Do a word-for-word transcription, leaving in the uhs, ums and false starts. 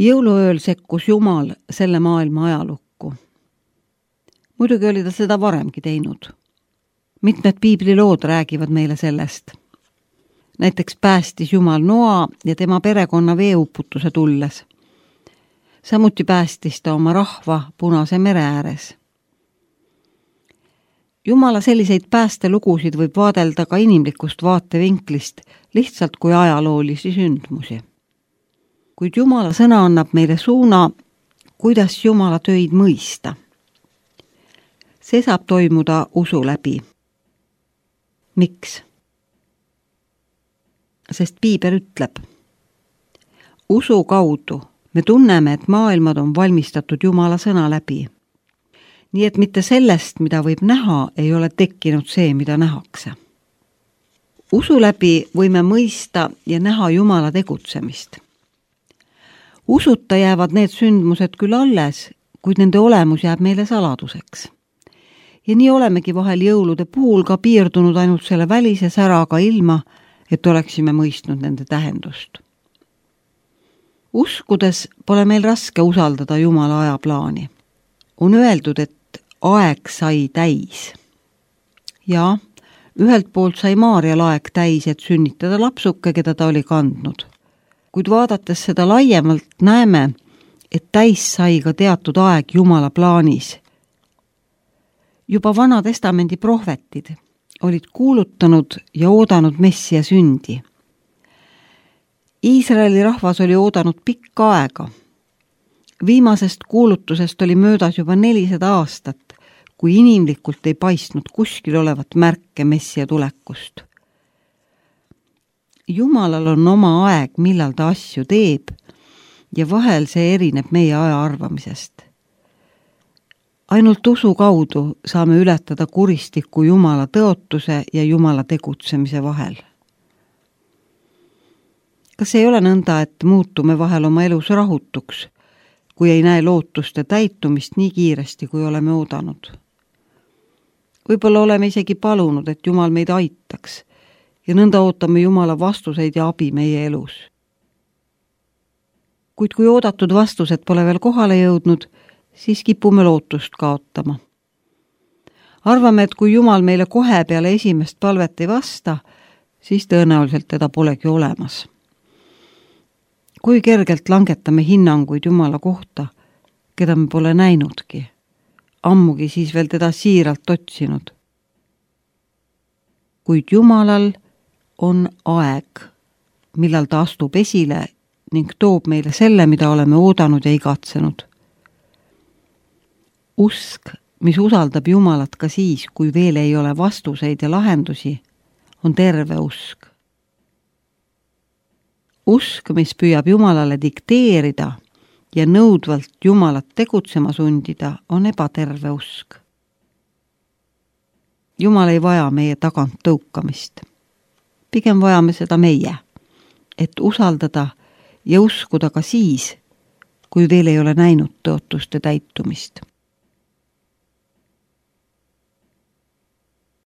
Jõuluööl sekkus Jumal selle maailma ajalukku. Muidugi oli ta seda varemgi teinud. Mitmed piiblilood räägivad meile sellest. Näiteks päästis Jumal Noa ja tema perekonna veeuputuse tulles. Samuti päästis ta oma rahva Punase mere ääres. Jumala selliseid päästelugusid võib vaadelda ka inimlikust vaatevinklist, lihtsalt kui ajaloolisi sündmusi. Kuid Jumala sõna annab meile suuna, kuidas Jumala töid mõista. See saab toimuda usu läbi. Miks? Sest Piibel ütleb, usu kaudu me tunneme, et maailmad on valmistatud Jumala sõna läbi. Nii et mitte sellest, mida võib näha, ei ole tekkinud see, mida nähakse. Usu läbi võime mõista ja näha Jumala tegutsemist. Usuta jäävad need sündmused küll alles, kuid nende olemus jääb meile saladuseks. Ja nii olemegi vahel jõulude puhul ka piirdunud ainult selle välise säraga ilma, et oleksime mõistnud nende tähendust. Uskudes pole meil raske usaldada Jumala ajaplaani. On öeldud, et aeg sai täis. Ja ühelt poolt sai Maarjal aeg täis, et sünnitada lapsuke, keda ta oli kandnud. Kuid vaadates seda laiemalt näeme, et täis sai ka teatud aeg Jumala plaanis. Juba Vana Testamendi prohvetid olid kuulutanud ja oodanud Messia sündi. Iisraeli rahvas oli oodanud pikka aega. Viimasest kuulutusest oli möödas juba nelisada aastat, kui inimlikult ei paistnud kuskil olevat märke Messia tulekust. Jumalal on oma aeg, millal ta asju teeb, ja vahel see erineb meie aja arvamisest. Ainult usu kaudu saame ületada kuristiku Jumala tõotuse ja Jumala tegutsemise vahel. Kas ei ole nõnda, et muutume vahel oma elus rahutuks, kui ei näe lootuste täitumist nii kiiresti, kui oleme oodanud? Võib-olla oleme isegi palunud, et Jumal meid aitaks, ja nõnda ootame Jumala vastuseid ja abi meie elus. Kuid kui oodatud vastused pole veel kohale jõudnud, siis kipume lootust kaotama. Arvame, et kui Jumal meile kohe peale esimest palvet ei vasta, siis tõenäoliselt teda polegi olemas. Kui kergelt langetame hinnanguid Jumala kohta, keda me pole näinudki, ammugi siis veel teda siiralt otsinud. Kuid Jumalal on aeg, millal ta astub esile ning toob meile selle, mida oleme oodanud ja igatsenud. Usk, mis usaldab Jumalat ka siis, kui veel ei ole vastuseid ja lahendusi, on terve usk. Usk, mis püüab Jumalale dikteerida ja nõudvalt Jumalat tegutsema sundida, on ebaterve usk. Jumal ei vaja meie tagant tõukamist. Pigem vajame seda meie, et usaldada ja uskuda ka siis, kui veel ei ole näinud tõotuste täitumist.